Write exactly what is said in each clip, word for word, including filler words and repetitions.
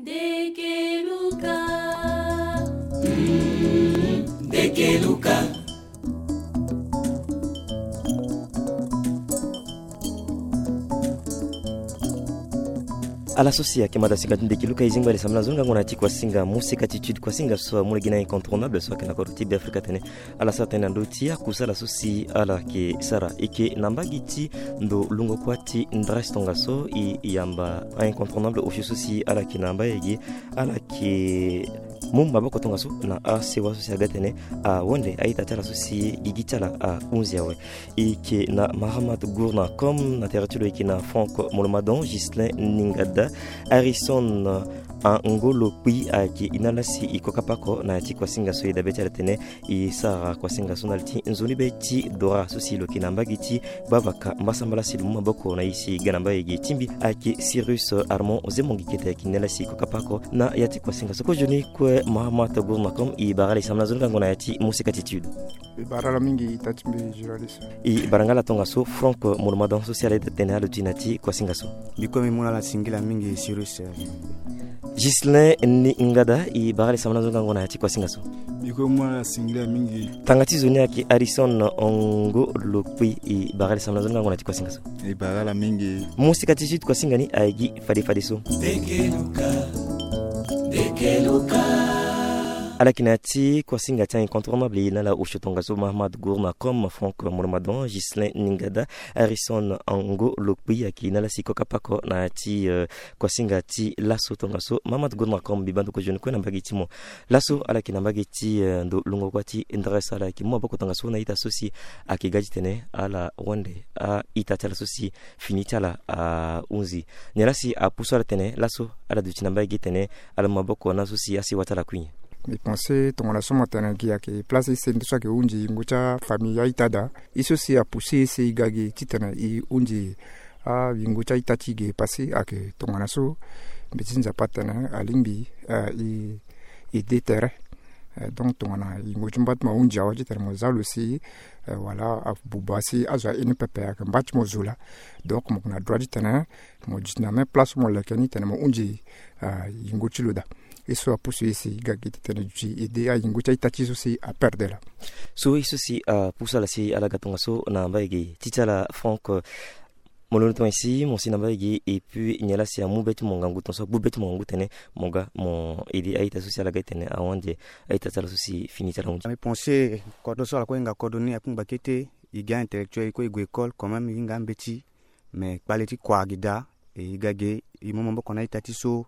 Dekeluka. Mm, Dekeluka. Ala so si ayeke mada sika ti Dekeluka e zingba iri sambela na zo ni ngangu na ya ti kuasinga Moseka Attitude, kuasinga so amu lege na incontournable so ayeke na kodro ti Beafrika atene ala sara tënë na ndö ti akusala so si ala yeke sara. E yeke na mbage ti ndo lungo kuâ ti ndresse tongaso, e yamba a-incontournable osio so si ala yeke na mbage ge, ala yeke mu maboko tongaso na asewa so si aga tene awende a-ita ti ala so si gigi ti ala ahunzi awe. E yeke na Mahamat Gourna Comme, na tere ti lo e yeke na Franck Molomadon, Ghislain Ningada, Harrison Angolo Kpi, ayeke e na ala si e kokapa oko na ya ti kuasinga so e dabe ti ala tene e sara kuasinga so na li ti nzoni be ti Dora so si lo yeke na mbage ti Bavaka Mbasambala si lo mu maboko na e si e ga na mbage ge. Ti mbi ayeke Cyrus Armand Ozemongi Kete, ayeke e na ala si e kokapa oko na ya ti kuasinga so. Kozoni kue Mahamat Gourna Comme, e bara ala e sambela na zo ni ngangu na ya ti Moseka Attitude. E bara ala mingi ita ti mbi journaliste. E bara nga ala tongaso Franck Molomadon so si ala ita tene ala duti na ya ti kuasinga so. Mbi kue mbi mu na ala singila mingi Cyrus. Ghislain Ningada, e bara ala e sambela na zo ni ngangu na ya ti kuasinga so. Mbi kue mbi mu na ala singila mingi. Tanga ti zo ni ayeke Harrison Angolo Kpi, e bara ala e sambela na zo ni ngangu na ya ti kuasinga so. E bara ala mingi. Moseka Attitude, kuasinga ni ayeke gi fade fade so. Dekeluka, Dekeluka. Ala yeke na ya ti kuasinga ti a-incontournable, e na ala osio tongaso Mahamat Gourna Comme, Franck Molomadon, Ghislain Ningada, Harrison Angolo Kpi, ayeke e na ala si e kokapa oko na ya ti, euh, kuasinga ti laso tongaso. Mahamat Gourna Comme, mbi baa ndo kozoni kue na mbage ti mo. Laso ala yeke na mbage ti, euh, ndo lungo kuâ ti ndresse, ala yeke mu maboko tongaso na ita so si ayeke ga ti tene ala wende a-ita ti ala so si fini ti ala ahunzi. Nyen la si apusu ala tene laso ala duti na mbage tene ala mu maboko na so si asewa ti ala kue nyen? Mbi pense tongana so mo tene gi ayeke place use nde so ayeke hunzi yingo ti afamille a-ita daa. Ye so si apusu e si e ga gi titene e hunzi ayingo ti a-ita ti e ge pasi ayeke tongana so mbi ti Nzapa atene alingbi, eh, e, e de tere. Eh, donc tongana yingo ti mba ti mo ahunzi awe titene mo za lo si, eh, wala abuba si azo aye ni pepe ayeke mba ti mo zo laa. Donc mo yeke na droit titene mo duti na même place so mo leke ni titene mo hunzi, ah, yingo ti lo daa. Ye so apusu e si e ga gi titene e duti e de ayingo ti a-ita ti e so si aperdre laa. So ye so si apusu ala si ala ga tongaso na mbage ti ti ala Franck, euh, mo londo tongaso si mo si na mbage, et puis nyen la si amu be ti mo ngangu tongaso agbu be ti mo ngangu tene mo ga mo ede a-ita so si ala ga titene awande a-ita ti ala so si fini ti ala hunzi? Mbi pense kodro so ala kue hinga kodro ni akungba kete, e ga intellectuel, e kue e gue école quand même, e hinga ambeti. Mais kpale ti kua gi daa, e ga ge, e mu maboko na a-ita ti so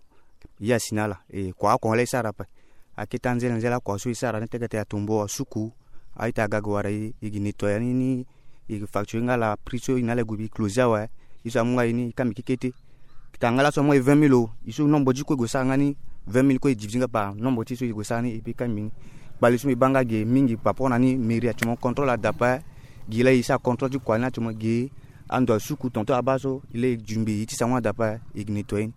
ye asi na ala. E kua oko laa e sara ape. Akete anzele anzele akua so e sara ni, teke tene atombo asuku, a-ita aga ge wara e, e gi nettoyer ni, ni e gi facture nga ala prix so e na ala e gue bi close awe. Ye so amu nga ye ni e kambi kekete. Tanga laso amu nga ye vingt mille o, e so nombre ti kue e gue sara nga ni vingt mille kue e divise nga par nombre ti so e gue sara ni, e pe kambi ni. Kpale so mbi baa nga ge mingi par rapport na ni, mairie actuellement contrôle ada ape. Gi laa e sara contrôle ti kua ni actuellement ge. Ando asuku tonton abaa so e laa e jumbe e ti sango ada ape, e gi nettoyer ni.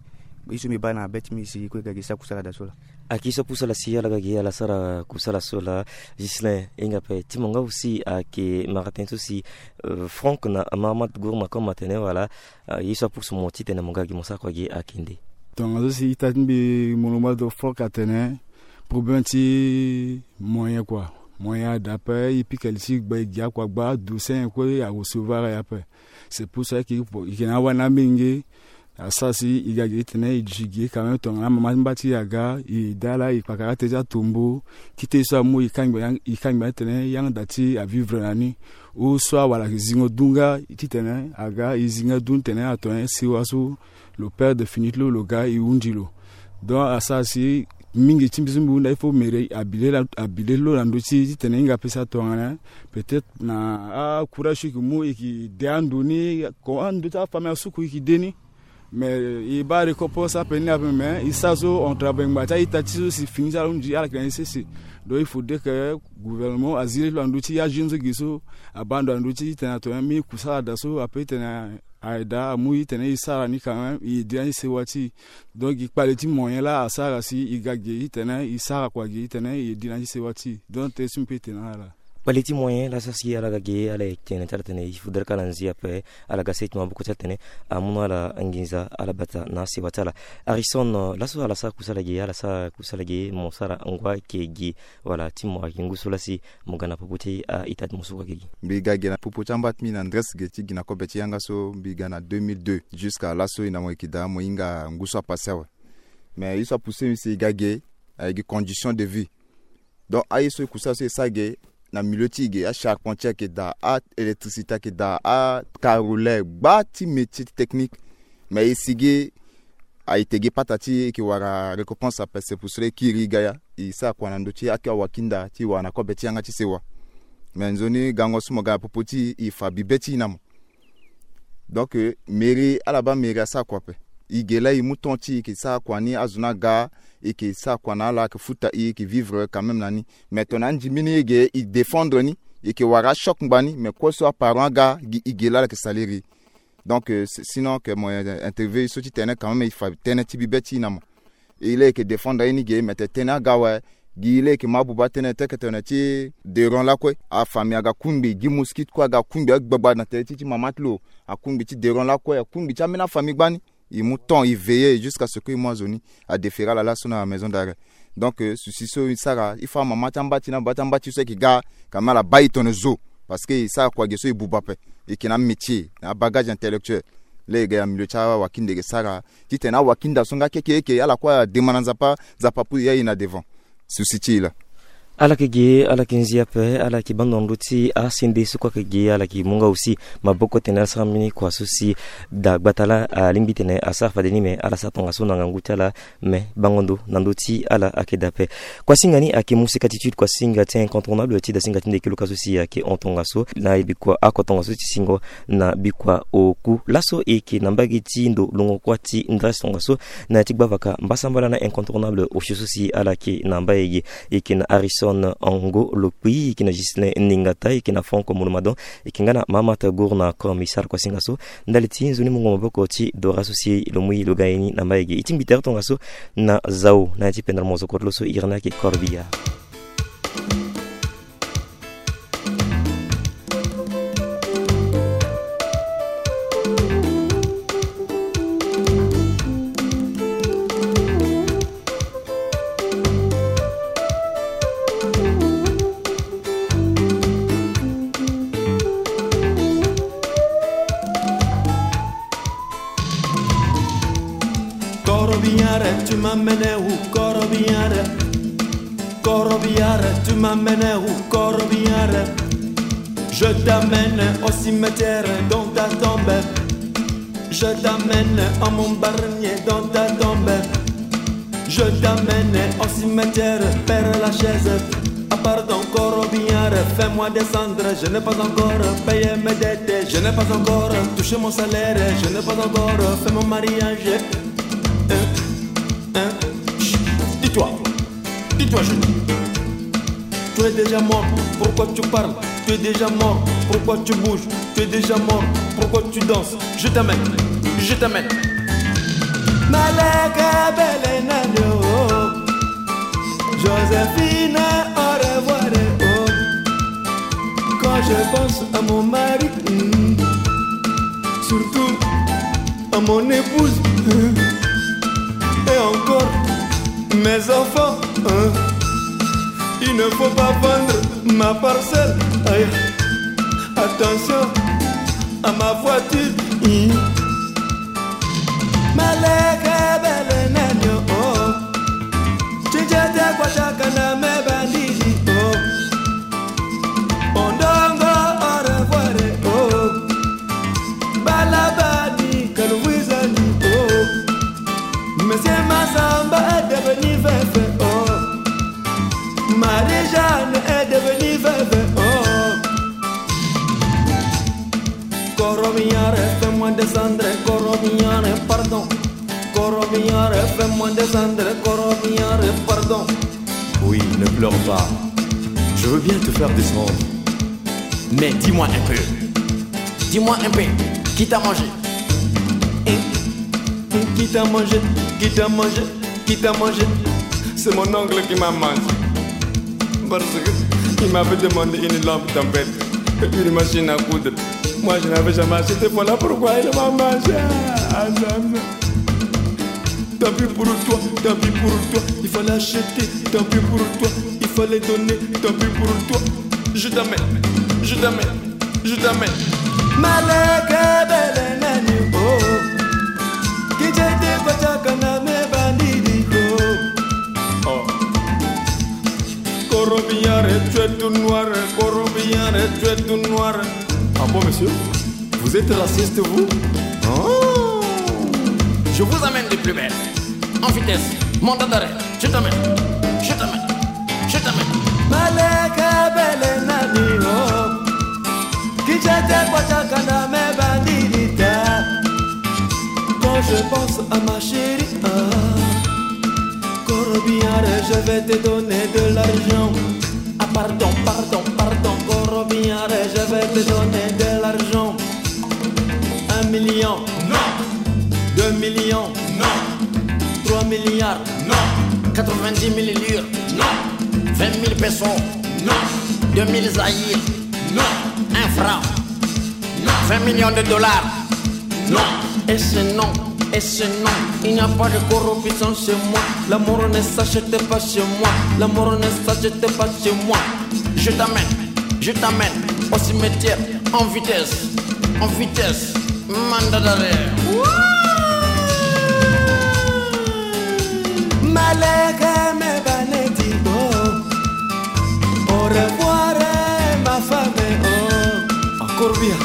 Ye so mbi baa na be ti mbi si e kue ga gi sara kusala daa so laa. Ayeke so apusu ala si ala ga gi ala sara kusala so laa. Ghislain, e hinga ape ti mo nga aussi ayeke mara tënë so si, euh, Franck na Mahamat Gourma Comme atene wala, euh, ye so apusu mo titene mo ga gi mo sara kua gi ayeke nde? Tongaso si ita ti mbi mo lo ma do Franck atene problème ti moyen kua. Moyen ada ape, e pika li ti gba e gi akua gba, dossier nyen kue a recevoir aye ape. C'est pour ça que e yeke na awani amenge. Asara si e ga gi titene e duti gi quand même tongana amama ti mba ti e aga, e dala e kpakara tënë ti atombo. Kite so amu e kangbi, e kangbi titene yanga da ti avivre na ni. Ou soit wala ayeke zingo du nga titene aga e zi nga du titene ato nyen sewa so lo perdre fini ti lo, lo ga e hunzi lo. Donc asara si mingi ti mbi so mbi hunda il faut mairie abi le, abi le lo na ndö ti e titene e hinga pesa tongana peut-être na acourage so e yeke mu e yeke de ando ni, ko ando ti afamille asuku e yeke de ni. Mais e baa récompense ape ni ape, mais e sara so on travail ngba ti a-ita ti so si fini ti ala hunzi ala yeke na ni sese. Donc il faudrait que gouvernement azi le ti lo na ndö ti ajeune so ge so abaa ndo na ndö ti titene ato nyen, mbi kusala daa so ape titene aye daa amu e titene e sara ni quand même, e di na ni sewa ti e. Donc gi kpale ti moyen laa asara si e ga ge titene e sara kua ge titene e di na ni sewa ti e. Donc tënë so mbi peut tene na ala. Kpale ti moyen laso si ala ga ge, ala ye tene ti ala tene il faudrait ka ala nzi ape. Ala ga seti maboko ti ala tene amu na ala nginza, ala bata na asewa ti ala. Harrison, laso ala sara kusala ge, ala sara kusala ge, mo sara ngoi ayeke ge, wala ti mo ayeke ngu so lasi mo ga na popo ti a-ita ti mo so kue ayeke ge? Mbi ga ge na popo ti amba ti mbi na ndresse ge ti gi na kobe ti yanga so, mbi ga na deux mille deux. Jusqu'à laso e na mo yeke daa, mo hinga ngu so apase awe. Mais ye so apousse mbi si e ga ge, ayeke gi condition de vie. Donc aye so e kusa so e sara ge na milieu ti e ge, acharpentier ayeke daa, aélectricité ayeke daa, acarreleur, gba ti métier ti technique. Mais e si ge, a-ita ge pata ti e yeke wara récompense ape, c'est pour cela e kiri e ga ya. E sara kua na ndö ti aki awakinda ti wara na kobe ti yanga ti sewa. Mais nzoni gango so mo ga na popo ti e, e fa bibe ti e na mo. Donc mairie, ala baa mairie asara kua ape. E ge laa e mu temps ti e, e yeke sara kua ni, azo ni aga, e yeke sara kua na ala, ayeke futa e, e yeke vivre quand même na ni. Mais tongana andimbeni e ge, e défendre ni, e yeke wara achoc ngbani, mais kue so aparent aga gi e ge laa ala yeke saliri. Donc sinon ke mo interview e so ti tene quand même e fa tënë ti bibe ti e na mo. E laa e yeke défendre aye ni ge, mais tene tënë aga awe. Gi e laa e yeke mu abuba tënë ti eke tene ti deron lakue, afamille aga kungbi, gi mosquite kue aga kungbi, agbagba na tere ti ti mama ti lo, akungbi ti deron lakue, akungbi ti ambeni afamille gbani. E mu temps e veiller jusqu'à ce que e mu azo ni, adéférer ala laso na maison d'arrêt. Donc souci so e sara, il faut amama ti amba ti e na baba ti amba ti e so ayeke ga, quand même ala baa e tongana zo. Parce que e sara kua ge so e buba ape, e yeke na amétier, na abagage intellectuel. Laa e ga ya milieu ti awakinde e yeke sara, titene awakinda so nga keke eke ala kue ademande na Nzapa, Nzapa apusu ya e na devant. Souci ti e laa. Ala yeke ge, ala yeke nzi ape, ala yeke bando na ndö ti asende so kue ayeke ge, ala yeke mu nga aussi maboko tene ala sara mbeni kua so si daa gbata laa alingbi tene asara fade ni, me ala sara tongaso na ngangu ti ala. Me bango ndo na ndö ti ala ayeke daa ape. Kuasinga ni ayeke Moussek Attitude, kuasinga ti incontournable ti dasinga ti ndeke luka so si ayeke hon tongaso na bikua ako tongaso ti singo na bikua oku. Laso e yeke na mbage ti ndo longo kuâ ti ndresse tongaso na ya ti gbavaka mbasambala na incontournable osio so si ala yeke na mbage ge. E yeke na Harrison Ango Lokpi, e yeke na Ghislain Ningata, e yeke na Franck Molomadon, e yeke nga na Mahamat Gour na Comme e sara kuasinga so. Ndali ti nzoni mungo maboko ti Dora so si lo mu e lo ga ye ni na mbage ge. E tingbi tere tongaso na zao na ya ti pendere mozoko ti lo so e iri ni ayeke Corbillard. Korobiare, tu m'amènes où, Korobiare? Korobiare, tu m'amènes où, Korobiare? Je t'amène au cimetière dans ta tombe. Je t'amène à mon barnier dans ta tombe. Je t'amène au cimetière, Père Lachaise. Ah pardon, Korobiare, fais-moi descendre. Je n'ai pas encore payé mes dettes. Je n'ai pas encore touché mon salaire. Je n'ai pas encore fait mon mariage. Hein? Hein? Chut, tais-toi. Tais-toi, jeune. Tu es déjà mort, pourquoi tu parles? Tu es déjà mort, pourquoi tu bouges? Tu es déjà mort, pourquoi tu danses? Je t'amène, je t'amène. Malaka bele nani o. Joséphine, au revoir, oh. Quand je pense à mon mari, hmm, surtout à mon épouse, hmm, et encore mes enfants, hein. Il ne faut pas vendre ma parcelle. Aïe. Attention à ma voiture. Hmm. Malaka bele nani o. Tijete kwa shaka na me bandidi o. Ondongo, au revoir, oh. Balabani, Kalouizani, oh. Monsieur Massamba est devenu veuf, oh. Marie-Jeanne est devenue veuve, oh. Koromiare, fais-moi descendre, Koromiare, pardon. Koromiare, fais-moi descendre, Koromiare, pardon. Oui, ne pleure pas. Je veux bien te faire descendre. Mais dis-moi un peu. Dis-moi un peu. Qui t'a mangé? Hein? Qui t'a mangé? Qui t'a mangé? Qui t'a mangé? C'est mon oncle qui m'a mangé. Parce que il m'avait demandé une lampe tempête et une machine à coudre. Moi, je n'avais jamais acheté. Voilà pourquoi il m'a mangé. Ah, ça, ça. Tant pis pour toi, tant pis pour toi. Il fallait acheter, tant pis pour toi. Il fallait donner, tant pis pour toi. Je t'amène, je t'amène, je t'amène. Malaka bele nani o. Kijete kotaka na me bandidi ko. Oh. Korobiare, tu es tout noir. Korobiare, tu es tout noir. Ah bon, monsieur ? Vous êtes raciste, vous ? Oh. Je vous amène de plus belle. En vitesse. Mandat d'arrêt. Je t'amène. Je t'amène. Je t'amène. Malaka bele nani o. Kijete kotaka na me bandidi ta. Quand je pense à ma chérie, ah, Korobiare, je vais te donner de l'argent. Ah, pardon, pardon, pardon, Korobiare, je vais te donner de l'argent. Un million. Non. Deux millions. Non. Trois milliards. Non. Quatre-vingt-dix mille lire. Non. Vingt mille pesos. Non. Deux mille zaïre. Non. Un franc. Non. Vingt millions de dollars. Non. Et ce non, et ce non, il n'y a pas de corruption chez moi. L'amour ne s'achète pas chez moi. L'amour ne s'achète pas chez moi. Je t'amène, je t'amène au cimetière en vitesse, en vitesse. Mandat d'arrêt. Malaka me baneti o. Au revoir, ma femme, oh. Encore bien.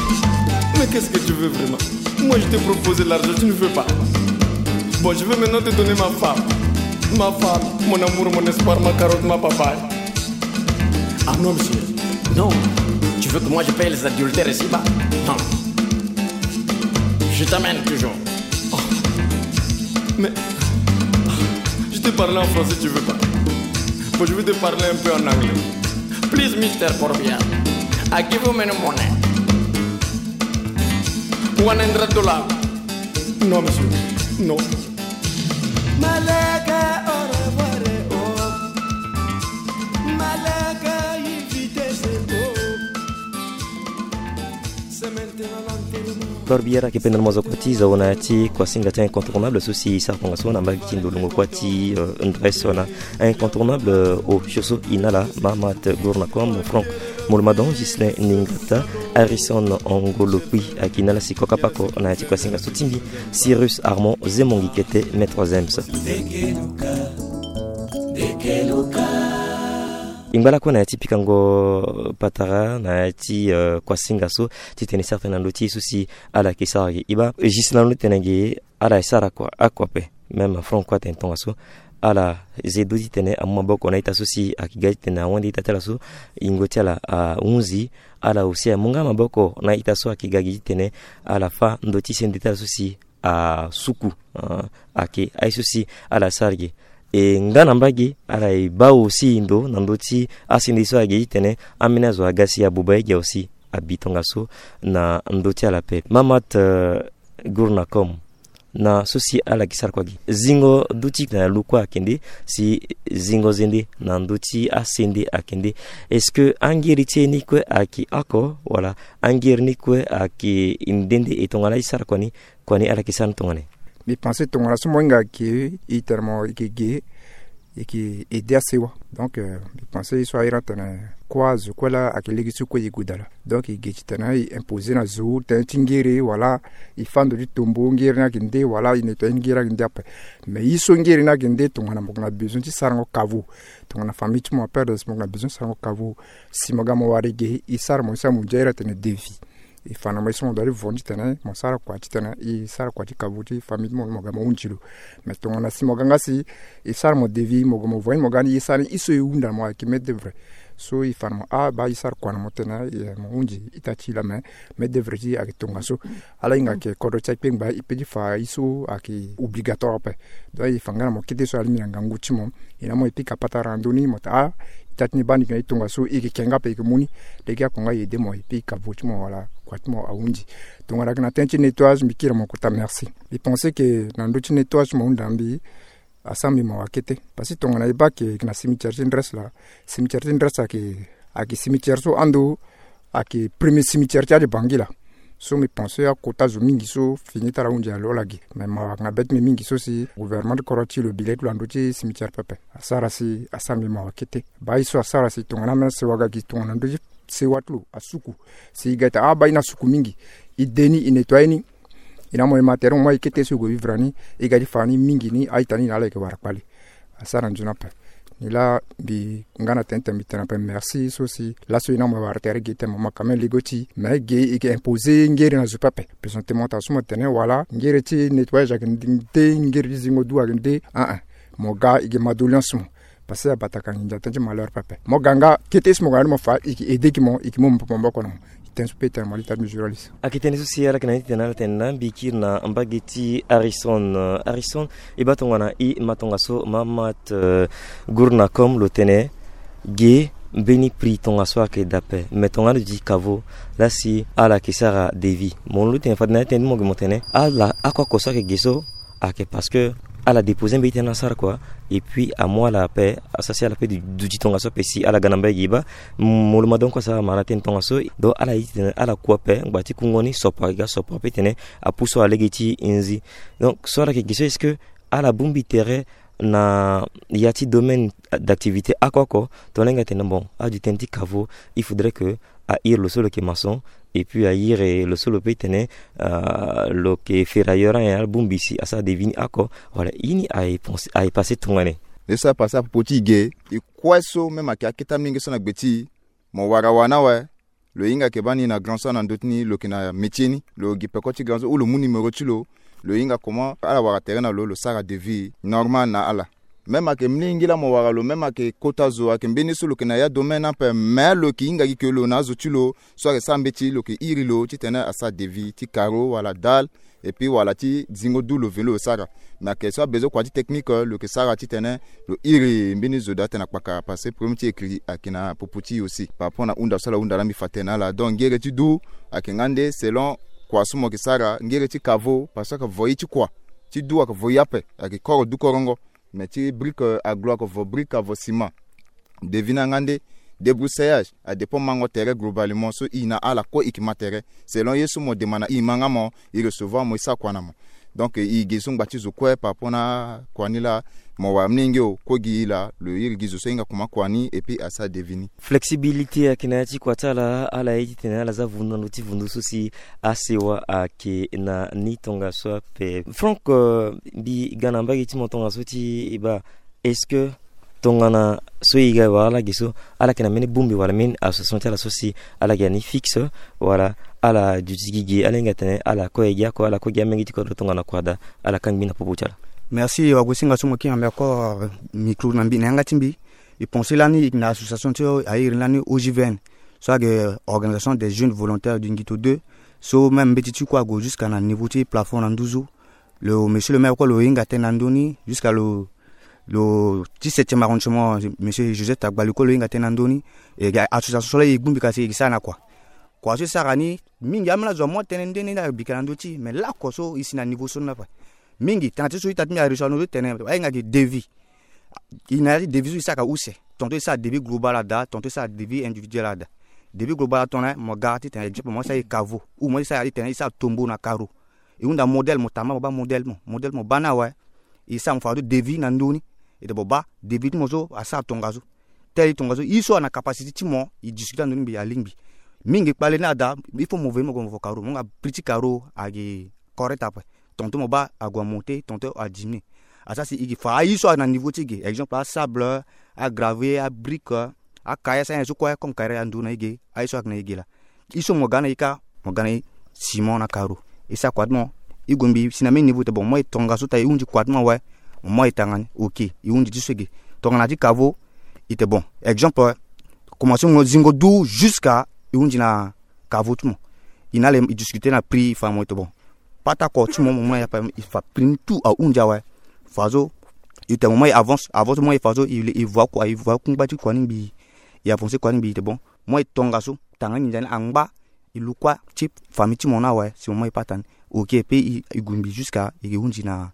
Mais qu'est-ce que tu veux vraiment ? Moi, je t'ai proposé l'argent, tu ne veux pas. Bon, je vais maintenant te donner ma femme. Ma femme, mon amour, mon espoir, ma carotte, ma papaye. Ah non, monsieur. Non. Tu veux que moi je paye les adultères ici-bas ? Non. Je t'amène toujours. Oh. Mais je te parle en français, tu veux pas. Bon, je vais te parler un peu en anglais. Please, Mister Corbia, I give you many money. One hundred dollars. Non, monsieur. Non. Malaka, au revoir, oh. Malaka, invite, c'est beau. C'est maintenant l'enterrement. Corbia ayeke pendere mo zo kua ti zo na ya ti kuasinga ti incontournable so si e sara tongaso na mbage ti ndolongo kua ti, euh, ndresse na incontournable, euh, osio so e na ala Mahamat Gournakom, Franck Molomadon, Ghislain Ningata, Harrison Ngolo Kpi ayeke na ala si kua kapa oko na ya ti kuasinga so tingbi Cyrus Armand Zemongi Kete, Maître Zems. E ngba lakue na ya ti pikango patara na ya ti, euh, kuasinga so titene e sara tënë na ndö ti ye so si ala yeke sara gi. E baa juste na ndö ti tene gi ala e sara kua, akua ape. Même Franck kue atene tongaso, ala ze do titene amu maboko na ita so si ayeke ga titene awande ita ti ala so yingo ti ala ahunzi. Ala aussi amu nga maboko na ita so ayeke ga gi titene ala fâ ndö ti sende ti ala so si asuku, ah, ayeke aye so si ala sara gi. E nga na mbage ala e baa aussi ndo na ndö ti asende so ayeke gi titene ambeni azo aga si abuba ye gi aussi abi tongaso na ndö ti ala ape. Mahamat, euh, Gournakom, na so si ala yeke sara kua gi, zingo duti na lu kue ayeke nde, si zingo zende na ndö ti asende ayeke nde. Est-ce que angiri ti e ni kue ayeke oko wala angiri ni kue ayeke nde nde? E tongana e sara kua ni, kua ni ala yeke sara ni tongana nyen? Mbi pense tongana so mo hinga ayeke e tene mo yeke ge, e yeke aidé asewa. Donc, euh, mbi pense ye so ahiri atene kua zo kue laa ayeke lege ti kue e gue daa laa. Donc e ge titene e imposer na zo tënë ti ngere wala e fâ ndo ti tombo ngere ni ayeke nde wala e nettoyer ngere ni ayeke nde ape. Mais ye so ngere ni ayeke nde tongana mo yeke na besoin ti sarango caveau, tongana famille ti mo aperdre si mo yeke na besoin ti sarango caveau, si mo ga mo wara e ge, e sara mo ye so amundia ahiri atene devis. E fa na mo ye so mo doit ti vo ni titene mo sara kua titene e sara kua ti caveau ti famille ti mo, mo ga mo hunzi lo. Mais tongana si mo ga nga si e sara mo devis, mo ga mo vo ni, mo ga ni e sara ni ye so e hunda na mo ayeke main d'œuvre. So e fa na mo, ah, baa e sara kua na mo titene, eh, mo hunzi ita ti e laa, mais main d'œuvre ti e ayeke tongaso. Ala hinga ayeke kodro ti akpengba e peut ti fa ye so ayeke obligatoire ape. Donc e fa nga na mo kete so alingbi na ngangu ti mo. E na mo e pika patara na ndö ni mo tene, ah, ita ti ni baa ni yeke na e tongaso, e yeke ke nga ape, e yeke mu ni. Lege akua nga e aidé mo, e pika caveau ti mo wala kua ti mo ahunzi. Tongana ayeke na tënë ti nettoyage, mbi kiri na mo kota merci. Mbi pense que na ndö ti nettoyage ti mo ahunda na mbi, Asara mbi mawa kete. Parce que tongana e baa ayeke na cimetière ti Ndres laa, cimetière ti Ndres ayeke, ayeke cimetière so ando ayeke premier cimetière ti ade Bangui laa. So mbi pense akota zo mingi so fini ti ala ahunzi ala lo ala ge. Mais mawa ayeke na be ti mbi mingi so si gouvernement ti kodro ti lo bi le ti lo na ndö ti cimetière pepe. Asara si asara mbi mawa kete. Baa ye so asara si tongana ambeni sewa ga gi tongana ndö ti sewa ti lo asuku. Si e ga ita abaa ye ni asuku mingi, e de ni, e nettoyer ni. E na mo e ma tere mo ma e kete so e gue vivre na ni. E ga ti fa ni mingi ni a-ita ni na ala yeke wara kpale. Asara nzoni ape. Ni laa mbi nga na tene ti tene mbi tene ape merci so si laso e na mo e wara tere ge ti tene mo ma quand même lego ti e. Mais ge e yeke imposer ngere na zo pepe. Présentement taa so mo tene wala ngere ti nettoyage ayeke nde, ngere ti zingo du ayeke nde. Ah ah. Mo ga e yeke ma doléance mo. Parce que abataka nginza tënë ti malheur pepe. Mo ga nga kete so mo ga ni mo fa e yeke aide ki mo, e yeke mu maboko na mo. Tënë so pe tene mo li tara mbi journaliste. Ayeke tënë so si ala yeke na ni ti tene ala tene na mbi kiri na mbage ti Harrison. Euh, Harrison, e baa tongana e ma tongaso ma ma ti, euh, guru na comme lo tene ge mbeni prix tongaso ayeke daa ape. Mais tongana lo duti caveau laa si ala yeke sara devis. Mo lo tene fade na ya ti tene ti mo ge mo tene ala oko oko so ayeke ge so ayeke parce que ala déposer mbeni tënë asara kua. Et puis amu ala ape, asara si ala pe du, duti tongaso ape si ala ga na mbage ge baa. Mo lo ma donc asara ma na tënë tongaso. Donc ala ye ti tene ala kua ape ngba ti kungo ni sopo ayeke ga sopo ape tene apusu ala lege ti nzi. Donc so ala yeke ge so est-ce que ala bongbi tere na ya ti domaine d'activité oko oko? Tongana e hinga tene bon, aduti tënë ti caveau, il faudrait que a iri lo so lo yeke maçon, et puis a iri lo so lo pe tene, euh, lo yeke ferrailleur, ala bongbi si asara devis ni oko. Voilà, ye ni aye pense, aye passé tongana nyen? Ye so apassé apopo ti e ge, e kue so même ayeke akete mingi so na gbe ti e, mo wara wa ni awe. Lo hinga yeke baa ni na grand so na ndö ti ni lo yeke na métier ni, lo gi peko ti grand so ou lo mu numéro ti lo. Lo hinga comment ala wara tere na lo, lo sara devis normal na ala. Même ayeke mingi laa mo wara lo, même ayeke kota zo, ayeke mbeni so lo yeke na ya domaine ape, mais lo yeke hinga gi ke lo na azo ti lo so ayeke sara mbeti, lo yeke iri lo titene asara devis ti carreau wala dalle, et puis wala ti zingo du lo veni lo sara. Mais ayeke so abezoin kua ti technique lo yeke sara titene lo iri mbeni zo daa tene akpakara, parce que problème ti écrit ayeke na popo ti e aussi par rapport na hunda so ala hunda laa mbi fa tene na ala. Donc ngere ti du ayeke nga nde selon kua so mo yeke sara. Ngere ti caveau parce que ayeke voyer ti kua ti du ayeke voyer ape, ayeke koro du korongo. Mais ti brique, euh, aglo ayeke vo brique, avo ciment. Devis ni anga nde débroussaillage, adépend mango tere globalement so e na ala kue e yeke ma tere. Selon ye so mo demande na e, e ma nga mo, e recevoir mo, e sara kua na mo. Donc e gi so ngba ti zo kue par rapport na kua ni laa, mo wara mingi o, kue gi e laa lo iri gi zo so e hinga comment kua ni et puis asara devis ni. Flexibilité ayeke na ya ti kua ti ala, ala ye titene ala za vundu na ndö ti vundu so si asewa ayeke na ni tongaso ape. Franck, euh, mbi ga na mbage ti mo tongaso ti e baa, est-ce que tongana so e ga wala ala ge so, ala yeke na mbeni bongbi wala mbeni association ti ala so si ala yeke na ni fixe, wala ala duti gi ge, ala hinga tene ala kue gi oko, ala kue gi amenge ti kodro tongana kua daa, ala kangbi na popo ti ala? Merci wagosinga so mo kiri na mbi oko, euh, micro na mbi na yanga ti mbi. E pense lani e yeke na association ti e, a iri lani O J V N, so ayeke Organisation des Jeunes Volontaires du Ngito deux. So même mbeti ti kue ague jusqu'à na niveau ti plafond na nduzu. Lo monsieur le maire kue lo hinga tënë na ndö ni jusqu'à lo, lo ti septième arrondissement, monsieur Joseph Tagbali kue lo hinga tënë na ndö ni. E ga association so laa e bongbi ka si e sara na kua. Kua so e sara ni mingi ambeni azo amu atënë nde ni na bika na ndö ti e, mais laoko so e si na niveau so ni ape. Mingi tënë ti so ita ti mbi areçu na ndö ti tene ahinga gi devis. E na ya ti devis so e sara use. Tonton e sara devis global ada, tonton e sara devis individuel ada. Devis global atongana mo ga titene exemple mo sara e caveau ou mo sara titene e sara tombo na carreau. E hunda modèle mo tamba mo baa modèle mo, modèle mo baa ni awe. E sara mo fa ndo devis na ndö ni. E tene mo baa devis ti mo so asara tongaso. Tel tongaso, ye so ana capacité ti mo, e discuter na ndö ni mbi alingbi. Mingi kpale ni ada, il faut mo veni mo gue mo vo carreau, mo nga prix ti carreau ayeke correct ape. Tonton mo baa ague amonter, tonton adiminuer. Asara si e gi fa aye so ayeke na niveau ti e ge, exemple asable, agravier, abrique, acaillasson, ayen so kue comme carrière ando na e ge, aye so ayeke na e ge laa. Ye so mo ga na e kâ, mo ga na e ciment na carreau. E sara kua ti mo, e gue mbi si na mbeni niveau ti tene bon, mo ye tongaso taa e hunzi kua ti mo awe. Mo ye tanga ni, ok, e hunzi ti so e ge. Tongana ti caveau, e tene bon, exemple, commencer mo zingo du jusqu'à e hunzi na caveau ti mo. E na ala e discuter na prix, e fa mo e tene bon, pata oko ti mo, mo mu na e ape, e fa prix ni tout ahunzi awe. Fadeso e tene mo mu na e avance, avance mo mu na e fadeso e, e voa kua, e voa kungba ti kua ni ngbii. E avancer kua ni ngbii, e tene bon, mo mu na e tongaso, tanga nginza ni angba, e lu kua ti famille ti mo ni awe si mo mu na e pata ni. Ok, pe e, e gue ngbii jusqu'à e ke hunzi na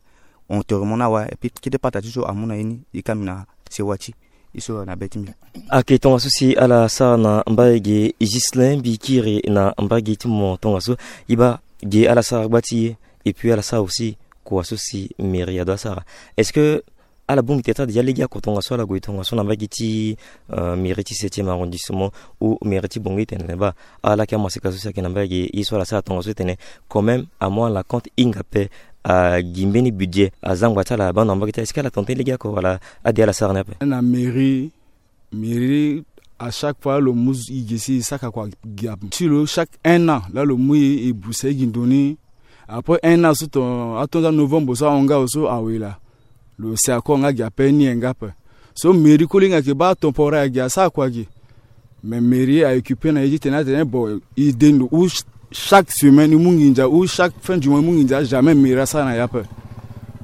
enterrement ni awe. Et puis kete pata ti so amu na ye ni, e ka mbi na sewa ti e so na be ti mbi. Ayeke tongaso si ala sara na mbage Ghislain Bikiri na mbage ti mo tongaso. E baa, ge ala sara gba ti e, et puis ala sara aussi kua so si mairie ado asara. Est-ce que ala bongbi tere ti ala déjà lege oko tongaso, ala gue tongaso na mbage ti, euh, mairie ti septième arrondissement ou mairie ti Bangui titene baa, ala yeke amaseka so si ayeke na mbage ye so ala sara tongaso titene quand même amu ala compte hinga ape, agi mbeni budget azangba ti ala abaa na mbage ti ala? Est-ce que ala tene ti lege oko wala ade ala sara ni ape? Na mairie, mairie, à chaque fois lo mu e gi si e saka kua gi ape. Ti lo chaque un an laa lo mu e, e brusa e gi ndo ni. Après un an so, ton atonda novembre so ahon nga awe so awe laa, lo si ako nga gi ape ni e nga ape. So mairie kue lo hinga yeke baa temporaire gi, asara kua gi. Mais mairie a occupé na e titene atene bon, e de ndo ou ch-, chaque semaine e mu nginza ou chaque fin du mois e mu nginza, jamais mairie asara na e ape.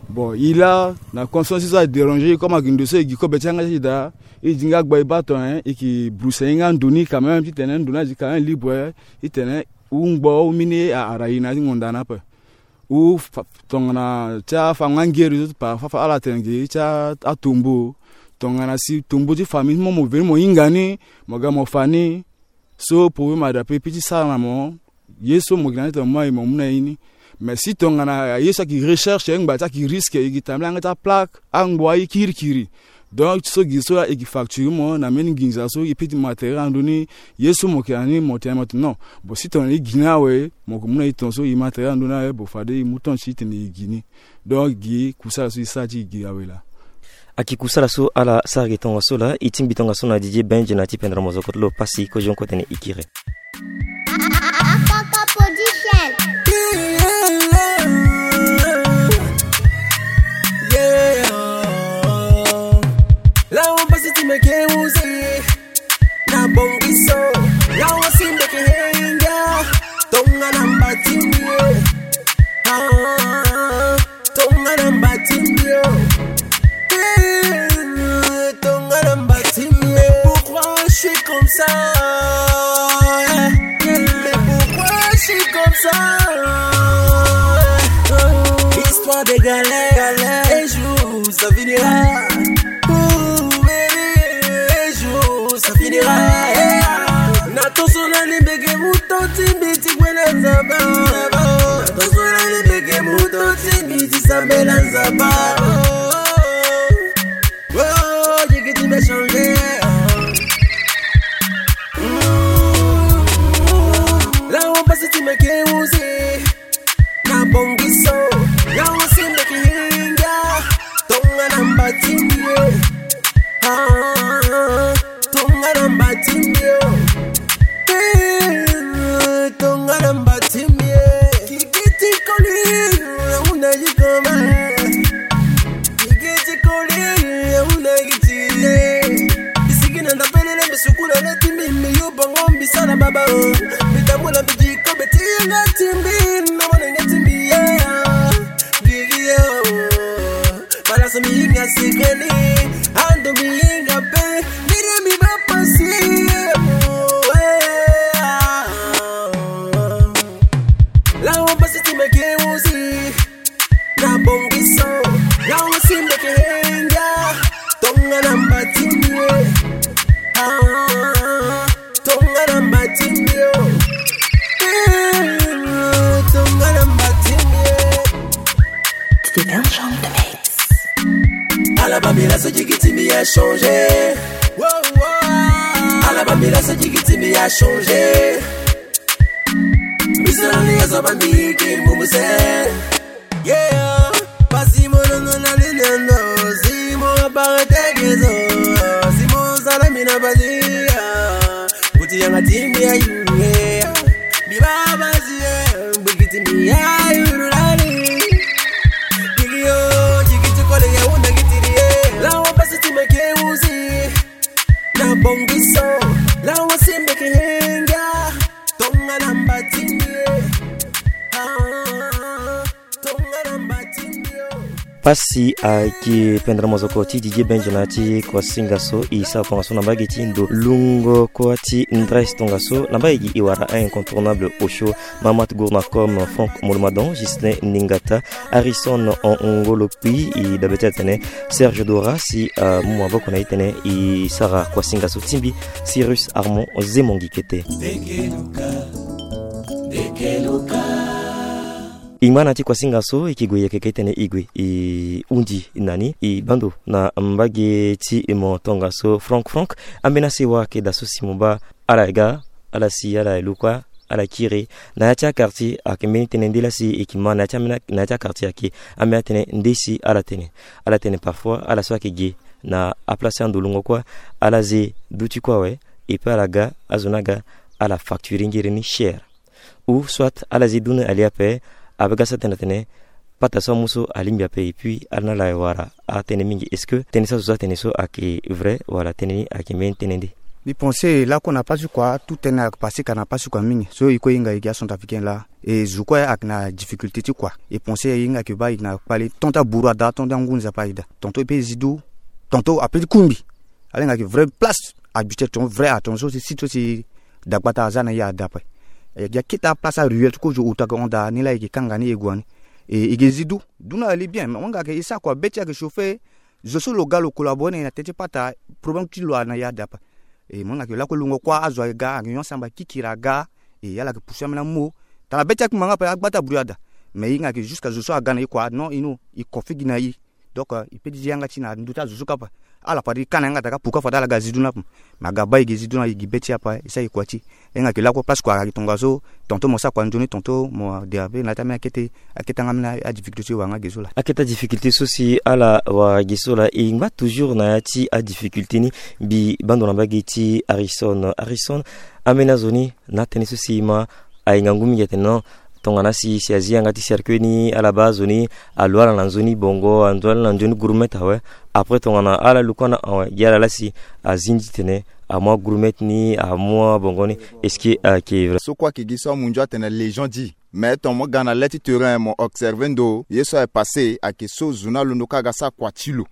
Bon, e laa na conscience so adéranger e, comme agi ndo so e gi kobe ti yanga ti e daa, e di nga gba e baa ton, hein, e yeke brusa e nga ndo ni quand même titene ndo ni adi quand même libre, hein, titene wu ngbo wu mini a ara e na ti ngonda ni ape. Wu fa-, tongana ti afango angeri so ti pa fa, fa ala tene gi ti a, atombo. Tongana si tombo ti famille ti mo, mo veni mo hinga ni, mo ga mo fa ni. So problème adape, pe ti sara na mo. Ye so mo yeke na ni tongana mo mu na e, mo mu na e ni. Mais si tongana ye so ayeke recherche, ngba ti ayeke risque, e yeke tambula yanga ti aplaque, angbo aye kirikiri. Donc so gi so e yeke facture mo na mbeni nginza so e peut ti matériel ando ni, ye so mo yeke na ni mo tene mo tene non. Bon, si tongana e gi ni awe, mo yeke mu na e tongaso e matériel ando ni awe, bon, fade e mu temps ti e tene e gi ni. Donc gi kusala so e sara ti e gi awe laa. Ayeke kusala so ala sara gi tongaso laa, e tingbi tongaso na Didier Benj na ti pendere mozoko ti lo pasi kozonko tene e kiri. Akpakpa Production. Yeah. Lawa pasi ti meke uzi. Na bongi so. Lawa si meke henga. Tongana mba ti mbi. Ah, tongana mba ti mbi. Eh, tongana mba ti mbi. Mais pourquoi je suis comme ça? Mais pourquoi je suis comme ça? Histoire de galère, galère. Un jour ça finira. Ouh, baby, un jour ça finira. Eh, na toso na ni mbeke muto ti mbi ti gwela nzapa. Na toso na ni mbeke muto ti mbi ti sambela nzapa. Oh, oh, oh, jigi ti mbi a changer. Mm. Lawa pasi ti mbi ake uzi. Na bongi so. Lawa si mbi ake hinga. Tongana mba ti mbi. Ah, tongana mba ti mbi. Eh, tongana mba ti mbi. Kiki ti koli. Una yikoma. Kiki ti koli, ya una kiti ye. Bisiki na ndapelele, bisukula na timbi, mi yo bango, mbisala baba, oh. Bitamula, bidiko, beti na timbi, na mwana na timbi, yeah. Gigi, oh. Bala so mi yinga sikeni, ando mi yinga pe, mire mi ba pasi, oh, yeah. Lawa pasi ti mbi ake uzi. Na bongi so, na usi mbi ake henga. Tongana mba ti mbi. Ah, tongana mba ti mbi. Eh, tongana mba ti mbi. C'était un genre de mix. Ala bambila so jigi ti mbi a changer. Wow, wow. Ala bambila so jigi ti mbi a changer. Biso na ni azo bambi ki mumuse. Yeah. Pasi mo longo na ni nendo. Si mo aparete gezo. Si mo sala mina basi. Kuti yanga ti mbi a yuru. Mbi ba basi. Bukiti mbi a yuru lali. Kiki yo, kiki ti kole ya una kiti ye. Lawa pasi ti mbi ake uzi. Na bongi so, lawa si mbi ake henga. Tongana mba ti mbi. Ah, tongana mba ti mbi. Pasi ayeke pendere mozoko ti Didier Benja na ya ti kuasinga so e sara tongaso na mbage ti ndo lungo kuâ ti ndresse tongaso na mbage gi e wara incontournable osio Mamat Gournakom, Franck Molomadon, Justin Ningata, Harrison Ngolokpi, e dabe ti atene Serge Dora si amu maboko na e tene e sara kuasinga so ti mbi. Cyrus Armand Zemongi kete. E ngba na ti kuasinga so e ke gue, e yeke ke tene e gue e hundi na ni e bando na mbage ti mo tongaso. Franck, Franck, ambeni asewa ayeke daa so si mo baa ala ga, ala si ala lu kuâ, ala kiri na ya ti aquartier. Ayeke mbeni tënë nde laa si e ke ma na ya ti ambeni, na ya ti aquartier ayeke ambeni atënë nde si ala tene. Ala tene parfois ala so ayeke ge na aplace ti ando lungo kuâ, ala ze duti kuâ awe. Et puis ala ga, azo ni aga, ala facture ngiri ni cher. Ou soit ala zi du ni ali ape. Abe ga sa tene atene pata so amu so alingbi ape, et puis ala ni ala wara atënë mingi. Est-ce que tënë so azo so atene so ayeke vrai wala tënë ni ayeke mbeni tënë nde? Mbi pense lakue na pasi kua, tout tënë ayeke pase ka na pasi kua mingi. So e kue e hinga e gi acentrafricain laa, e zo kue ayeke na difficulté ti kua. E pense e hinga ayeke baa e na kpale ton ti aburu ada, ton ti angu nzapa ayeke daa. Tonton e pe zi du, tonton ape ti kungbi. Ala hinga ayeke vrai place habituel, ton vrai atonso si site so si dagbata aza na e ada ape. E gi akete aplace aruelle ti kozo ota ke hon daa ni laa e ke kanga ni e gue ni. E, e ke zi du. Du na ali bien, mais mo hinga ayeke e sara kua be ti ayeke chauffer. Zo so lo ga lo collabore na e na tënë ti pata, problème ti lo ana e ada ape. E mo hinga ayeke lakue lungo kuâ azo aga, ayeke nyon asamba kikiri aga. E ala yeke pousse ambeni amu. Tana be ti akpingba nga ape, agba ti aburu e ada. Mais e hinga ayeke jusqu'à zo so aga na e kua non, e no, e ko figi na e. Donc, euh, e pe ti zi yanga ti na ndö ti azo so kapa. Ala fade e ka na yanga daa ka puka fade ala ga zi du ni ape. Mais aga baa e ke zi du ni, e gi be ti e ape, e sara e kua ti e. E hinga ayeke lakue place kua ayeke tongaso, tonton mo sara kua nzoni, tonton mo de ape na ya ti ambeni akete, akete anga ambeni adifficulté so e wara nga ge so laa. Akete adifficulté so si ala wara ge so laa, e ngba toujours na ya ti adifficulté ni. Mbi baa ndo na mbage ti Harrison. Harrison, ambeni azo ni na atënë so si e ma ahinga ngu mingi atene non, tongana si, si azi yanga ti cercueil ni, ala baa azo ni alu ala na nzoni bongo, alu ala na nzoni gourmet awe. Après tongana ala lu kue na awe, gi ala laa si azi nzi tene amu agourmet ni, amu abongo ni. Est-ce que ayeke vrai? So kue ayeke gi so amunzu atene les gens dit. Mais tongana mo ga na le ti terrain mo observer ndo, ye so ayeke passé ayeke so zo ni alondo kâ aga sara kua ti lo.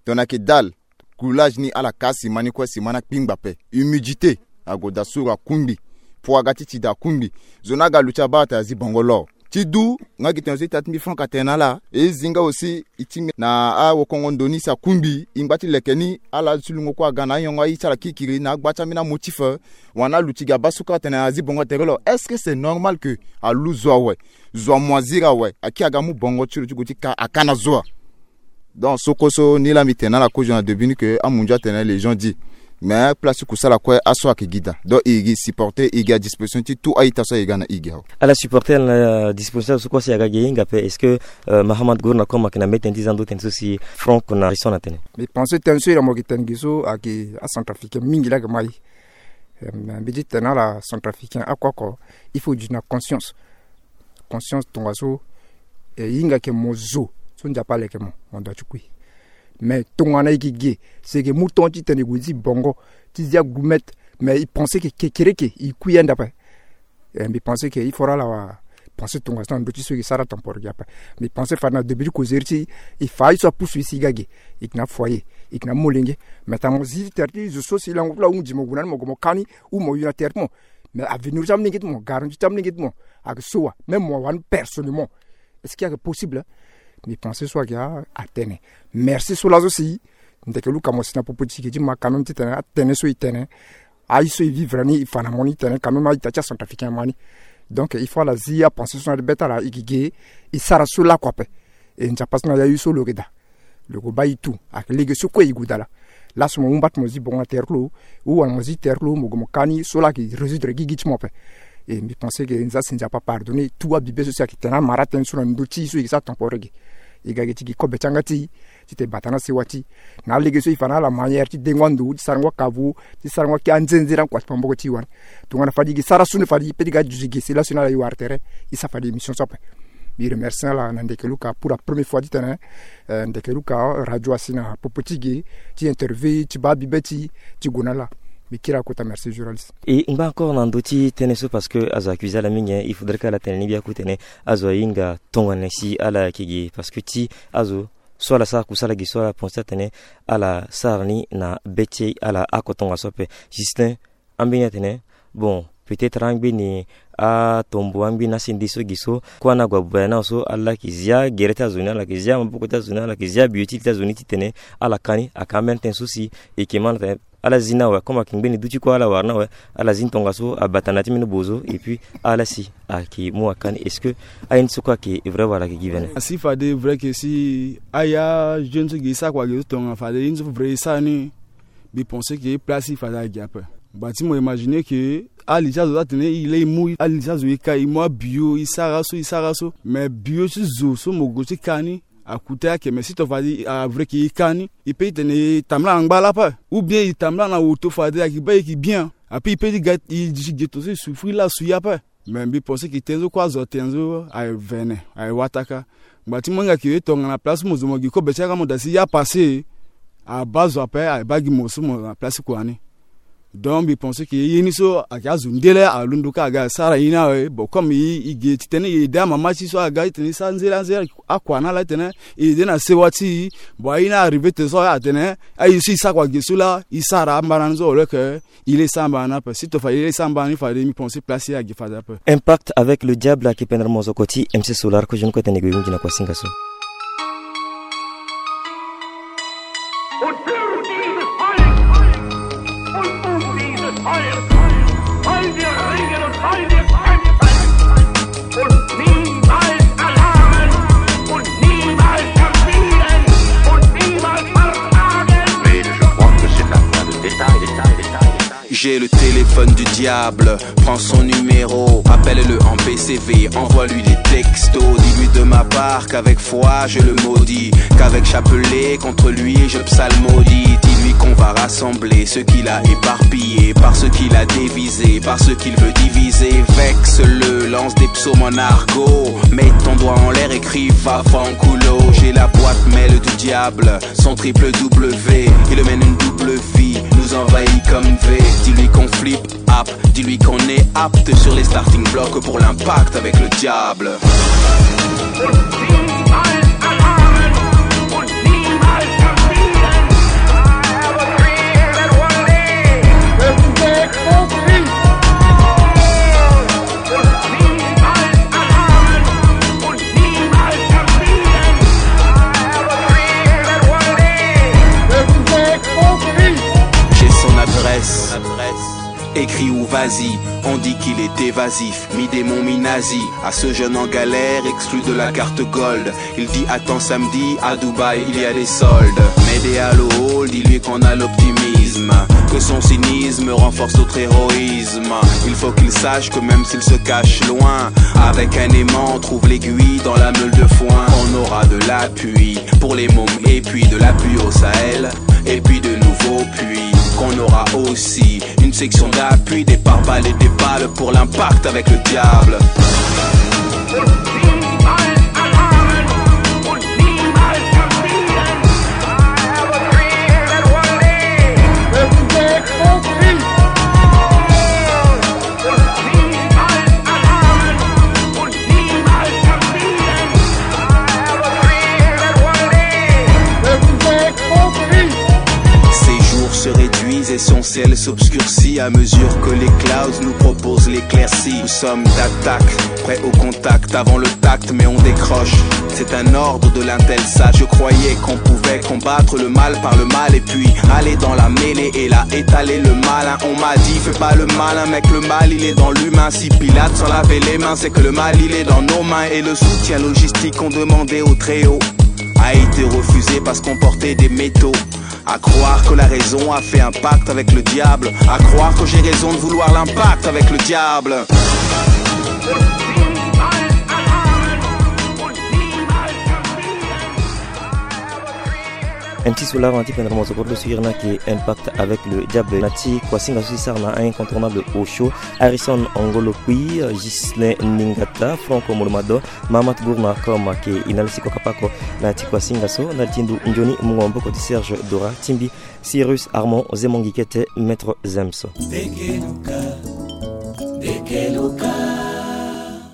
Tongana ayeke dal, coulage ni ala kaa sima ni kue, sima ni akpingba ape. Humidité ague daa, suru akungbi. Poids aga ti ti daa akungbi. Zo ni aga aluti abaa atene azi bongo lo. Ti du, nga gi tene so ita ti mbi Franck atene na ala, e zi nga aussi e ti ngbene na awokongo ndo ni si akungbi, e ngba ti leke ni, ala ti lungo kue aga na ayongo aye ti ala kikiri na agba ti ambeni amotif. Wala aluti gi abaa so kue atene azi bongo tere lo. Est-ce que c'est normal que alu zo awe, zo amoisir awe, aki aga amu bongo ti lo ti gue ti ka, aka na zo a? Donc so kue so ni laa mbi tene na ala kozo na début ni ke amunzu atene les gens dit. Mais place ti kusala kue aso ayeke gi daa. Donc e gi supporter, e gi à disposition ti tout a-ita so aye ga na e gi awe. Ala supporter na disposition so kue so e aga gi e hinga ape. Est-ce que, euh, Mahamat Gournakom ayeke na mbeni tënë ti za ndo tënë so si Franck na Harrison atene? Mbi pense tënë so ira mo yeke tene gi so ayeke acentrafricain mingi laa ayeke mai. Euh, mbi ti tene na ala, centrafricain oko oko, il faut e duti na conscience. Conscience tongaso, e hinga ayeke mo zo so Nzapa aleke mo, mo ndo ti kui. Mais tongana e yeke ge, si e yeke mu temps ti tene e gue zi bongo, ti zi agourmet, mais e pense ke kekereke e kui ande ape. Eh, mbi pense ke il faudra ala pense tongaso na ndö ti so e ke sara temporaire ape. Mbi pense fade na début ti causerie ti e, e fa aye so apusu e si e ga ge, e yeke na afoyer, e yeke na amolenge. Mais tongana mo zi ti tere ti zo so si lango ti lo ahunzi mo gue na ni, mo gue mo ka ni, ou mo yu na tere ti mo. Mais avenir ti amolenge ti mo, garantie ti amolenge ti mo ayeke so wa? Même mo wani personnellement, est-ce que ayeke possible? Mbi pense so ayeke a, atene. Merci so laso si Ndeke Luka mo si na popo ti e ti ma quand même ti tene atene so e tene, aye so e vivre ni e fa na mo ni tene quand même a-ita ti acentrafricain ma ni. Donc il faut ala zi apenser so na be ti ala, e yeke ge, e sara so lakue ape. E Nzapa so na ya ye so lo yeke daa. Lo yeke baa e tu, ayeke lege so kue e gue daa laa. Laso mo mu mba ti mo zi bongo na tere ti lo, ou wala mo zi tere ti lo, mo gue mo ka ni, so laa ayeke résoudre gigi ti mo ape. E mbi pense ke Nzapa si Nzapa apardonné tout abibe so si ayeke tene amara tënë so na ndö ti e so e yeke sara temporaire ge. E ga ge ti gi kobe ti yanga ti e, ti tene bata na sewa ti e. Na alege so e fa na ala manière ti dengo ando, ti sarango akavu, ti sarango akiri anzenze na kua ti pamboko ti e wani. Tongana fade e yeke sara so ni fade e peut ti ga duti ge si laso ni ala e wara tere, e sara fade émission so ape. Mbi remercie ala na Ndeke Luka pour la première fois ti tene, eh, Ndeke Luka radio asi na popo ti ge, ti interview, ti baa bibe ti e, ti gue na ala. Mbi kiri akota, merci journaliste. E ngba encore na ndö ti tënë so, parce que azo accusé ala mingi, hein. Il faudrait que ala tene ni gbia kutene azo ahinga tongana si ala yeke gi, parce que ti azo so ala sara kusala gi so, ala pense atene ala sara ni na be ti ala oko tongaso ape. Justin, ambeni atene, bon, peut-être angbeni atombo, angbeni asende so gi so, kue ana gue abuba na so, ala yeke zia gere ti azo ni, ala yeke zia maboko ti azo ni, ala yeke zia bio ti li ti azo ni titene ala ka ni. Aka ambeni tënë so si e yeke ma na tene ala zi na awe, comme ayeke ngbeni duti kue ala wara na awe, ala zi ni tongaso, abata na ya ti mbeni bozo, et puis ala si ayeke mu aka ni. Est-ce que aye ni so kue ayeke vrai wala ayeke gi vene? Asi fade vrai que si aye ajeune so gi e sara kua gi so tongana fade ye ni so vrai e sara ni, mbi pense que place ti e fade ayeke gi ape. Ba ti mo imaginer que ali ti azo so atene e laa e mu ali ti azo e ka, e mu abio, e sara so, e sara so. Mais bio ti zo so mo gue ti ka ni, a coûter ake, mais si to fade a vrai que e ka ni, e peut ti tene e tambula na ngba laa ape, ou bien e tambula na auto fade ayeke baa e yeke bien. Ape e peut ti ga e duti ge to so e souffrir laso ye ape. Mais mbi pense que tënë so kue azo atene so aye vene, aye wataka. Ngba ti mo hinga ke e tongana place ti mo zo mo gi kobe ti aga mo daa si ye apassé, abaa zo ape, abaa gi mo so mo na place ti kua ni. Donc mbi pense que ye ni so ayeke azo ndele alondo ka aga asara ye ni awe. Bon, comme e, e ge titene e aidé amama ti e so aga titene e sara nzere anzere akua na ala titene e aidé na sewa ti e. Bon, aye ni arrivé tene so atene aye so e sara kua ge so laa e sara ambara ni so, au lieu que e laa e sara ambara ni ape. Si to fa e laa e sara ambara ni fade, mbi pense place ti e ayeke fade ape. Impact avec le diable ayeke pendere mozoko ti M C Solar, ko jeune kue tene e gue e hunzi na kua singa so. Und für dieses Volk und um dieses Volk wollen wir ringen und wollen wir kämpfen. Und niemals erlahmen und niemals verfehlen und niemals versagen. Mais je crois que c'est un point de détail, détail, détail, détail. J'ai le téléphone du diable, prends son numéro, appelle-le en P C V, envoie-lui des textos, dis-lui de ma part qu'avec foi je le maudis, qu'avec chapelet contre lui je psalmodie. Dis-lui qu'on va rassembler ce qu'il a éparpillé, par ce qu'il a dévisé, par ce qu'il veut diviser. Vexe-le, lance des psaumes en argot, mets ton doigt en l'air et crie va fanculo. J'ai la boîte mail du diable, son triple W, il mène une double vie, nous envahit comme V. Dis-lui qu'on flippe, app, dis-lui qu'on est apte sur les starting blocks pour l'impact avec le diable. J'ai son adresse. Écris ou vas-y, on dit qu'il est évasif. Mi-démon, mi-nazi, à ce jeune en galère, exclu de la carte gold. Il dit attends samedi, à Dubaï, il y a des soldes. Mets des halo, dis-lui qu'on a l'optimisme, que son cynisme renforce notre héroïsme. Il faut qu'il sache que même s'il se cache loin, avec un aimant, on trouve l'aiguille dans la meule de foin. On aura de l'appui pour les mômes et puis de l'appui au Sahel, et puis de nouveaux puits. Qu'on aura aussi une section d'appui, des pare-balles et des balles pour l'impact avec le diable. Ses jours se réduisent et son ciel s'obscurcit à mesure que les clouds nous proposent l'éclaircie. Nous sommes d'attaque, prêts au contact avant le tact, mais on décroche. C'est un ordre de l'Intelsat. Je croyais qu'on pouvait combattre le mal par le mal et puis aller dans la mêlée et là étaler le malin. On m'a dit fais pas le malin, mec, le mal il est dans l'humain. Si Pilate s'en lavait les mains, c'est que le mal il est dans nos mains. Et le soutien logistique qu'on demandait au Très-Haut a été refusé parce qu'on portait des métaux. À croire que la raison a fait un pacte avec le diable, à croire que j'ai raison de vouloir l'impact avec le diable. N ti so laro na ti pendere mo zo kodro so iri ni ayeke Impact avec le diable. Na ti kuasinga so si sara na incontournable Osho, Harrison Ngolo Kpi, Ghislain Ningata, Franck Molomadon, Mahamat Gourna Kom ayeke e na le si kokapako. Na ti kuasinga so na le ti ndo nzoni mungo maboko ti Serge Dora, Timbi, Cyrus Armand, Zemongi Kete, Maître Zems.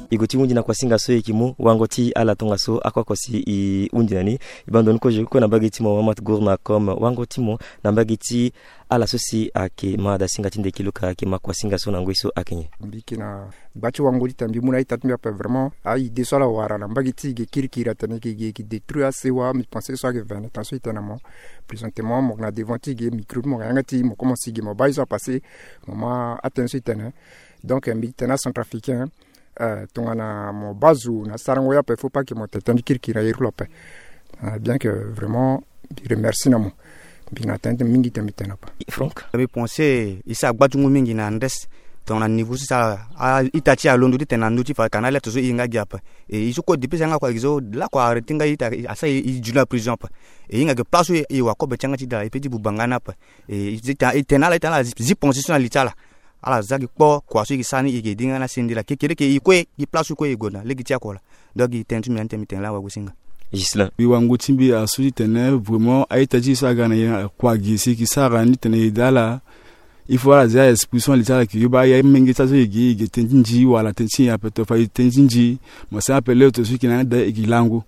E gue ti hundi na kuasinga so e yeke mu wango ti ala tongaso ako ako si e hundi na ni. E bando ni kozo kue na mbage ti mo Mahamat Gourna Kom, wango ti mo na mbage ti ala so si ayeke ma dasinga ti ndeke luka ayeke ma kuasinga so na ngoi so ayeke nyen? Mbi yeke na gba ti wango ti tene mbi mu na a-ita ti mbi ape vraiment. A-ide so ala wara na mbage ti e ge kirikiri atene e ge e ge détruire asewa. Mbi pense so ayeke vingt ans so e tene na mo. Présentement mo yeke na devant ti e ge micro ti mo yeke na yanga ti e, mo commence e ge mo baa ye so apasser. Mo ma atene so e tene. Donc mbi tene acentrafricain, eh, tongana mo baa zo na sarango ye ape, faut pas que mo tene tënë ti kirikiri na yere ti lo ape. Ah, bien que vraiment mbi remercie na mo. Mbi na tënë ti mingi ti tene mbi tene ape. Franck? Mbi pense e sara gba ti ngu mingi na ndrese. Tongana niveau so e sara a-ita ti e alondo ti tene na ndö ti fa ka na alerte so e hinga gi ape. E e so kue depuis so e yanga kua gi so lakue arrêter nga ita, asara e e zu na prison ape. E hinga gi place so e wakobe ti yanga ti da e pe ti buba nga ni ape. E e tene ala, e tene ala zi pense so na li ti ala. Ala za gi kpo kua so e gi sara ni e gi dinga na sendela kekereke e kue gi place so kue e gue na lege ti akua laa. Donc gi tënë ti mbi na ni tene mbi tene laa wagosinga. Ghislain. Mbi wango ti mbi asu ti tene vraiment a-ita ti e so aga na e kua gi si e gi sara ni tene e da ala. Il faut ala zia esprit so na li ti ala ke e baa amenge ti azo e gi e gi tënë ti nzi wala tënë ti nyen ape to fa e tënë ti nzi. Mo sara ape leo to so e gi na ande e gi lango.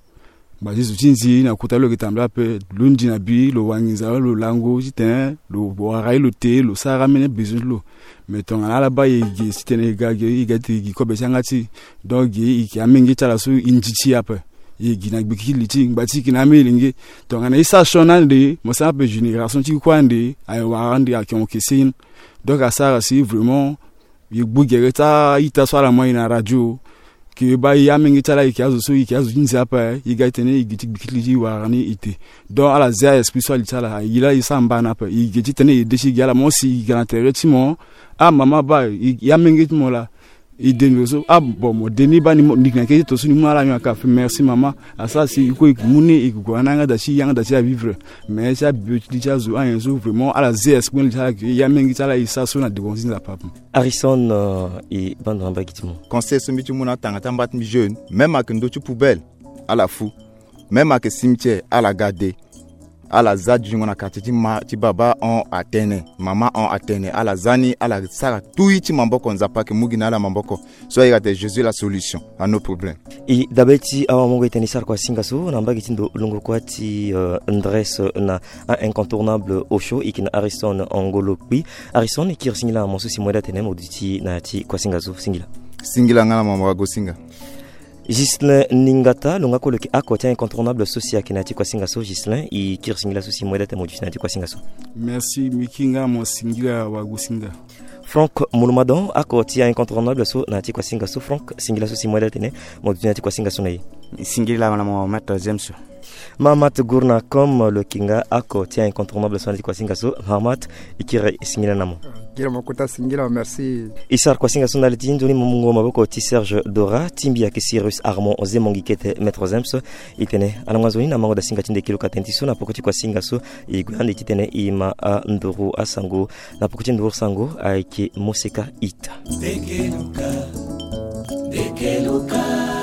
Ba ti zo ti nzi na kota lo yeke tambula ape, lo ndi na bi lo wanginza lo lango ti tene lo wara ye lo te lo sara amene besoin ti lo. Mais tongana ala baa e ge ti tene e ga ge e ga ti gi kobe ti yanga ti e. Donc ge e yeke amenge ti ala so e nzi ti e ape. E gi na gbiki ti li ti e ngba ti e yeke na amenge lenge. Tongana e sara sioni ande mo sara ape génération ti e kue ande aye wara ande ayeke hon kese. Donc asara si vraiment e gbu gere ti a-ita so ala mu aye na radio. Ke e baa e amenge ti ala e yeke azo so e yeke azo ti nze ape e ga ti tene e gi ti gbiki ti li ti e wara ni e te. Donc ala zia esprit so na li ti ala aye laa e sara mba na ape e gi ti tene e de ti e gi ala mo si e gi na tere ti mo. Ah mama baa e amenge ti mo laa e de ndo so ah bon mo de ni baa ni mo ni yeke na kete to so ni mu na ala nyon aka afe merci mama. Asara si e kue e yeke mu ni e yeke gue na yanga da ti e yanga da ti e avivre. Mais ti abio ti li ti azo anyen so vraiment ala zia esprit na li ti ala ke e amenge ti ala e sara so na devant ti Nzapa ape. Harrison, eh, e bando na mbage ti mo. Conseil so mbi ti mu na atanga ti amba ti mbi jeune, même ayeke ndö ti poubelle ala fu, même ayeke cimetière ala ga de. Ala za jungo na quartier ti ma ti baba hon atene mama hon atene ala za ni ala sara tui ti maboko Nzapa ayeke mu gi na ala maboko. So ayeke ate Jésus la solution à nos problèmes. E dabe ti awamongo e tene e sara kua singa so na mbage ti ndo lungo kua ti, eh, ndresse na a-incontournable Osho e yeke na Harrison Ngolo Kpi. Harrison e kiri singila na mo so si mo yeda tene mo duti na ya ti kua singa so singila. Singila nga na mo mo wago singa. Ghislain Ningata lo nga kue lo yeke ako ti a-incontournable so si ayeke na ya ti kua singa so. Ghislain e kiri singila so si mo yeda tene mo duti na ya ti kua singa so. Merci mbi kiri nga na mo singila wago singa. Franck Molomadon ako ti a-incontournable so na ya ti kua singa so. Franck singila so si mo yeda tene mo duti na ya ti kua singa so na e. Singila na mo maître James. Mahamat Gourna Kom lo yeke nga ako ti a-incontournable so na ya ti kua singa so. Mahamat e kiri singila na mo. Kiri mo kota singila merci. E sara kua singa so na li ti nzoni mungo maboko ti Serge Dora, ti mbi ayeke Cyrus Armand Zemongi kete maître James. E tene alango nzoni na mango da singa ti ndeke luka tënë ti so na poko ti kua singa so. E gue ande ti tene e ma anduru asango. Na poko ti nduru sango ayeke moseka ita. Ndeke luka, ndeke luka.